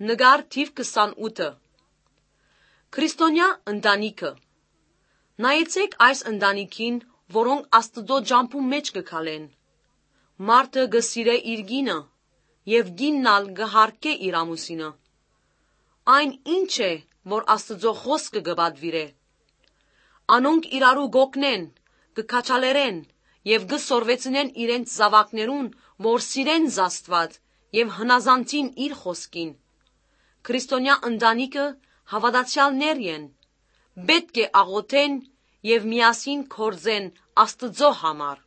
Նկար թիվ 28-ը Քրիստոնյա ընտանիքը Նայեցեք այս ընտանիքին, որոնք Աստծո ջամփու մեջ կգալեն։ Մարդը գսիրե իր գինը, և գիննալ գհարկե իր ամուսինը։ Այն ինչ է, որ Աստծո խոսքը կպատվիրե։ Անոնք իրարու գօգնեն, կքաջալերեն և կսորվեցնեն իրենց զավակներուն, որ սիրեն Աստված և հնազանդին իր խոսքին։ Քրիստոնյա ընտանիքը հավատացյալներ են, պետք է աղոթեն և միասին գործեն Աստծո համար։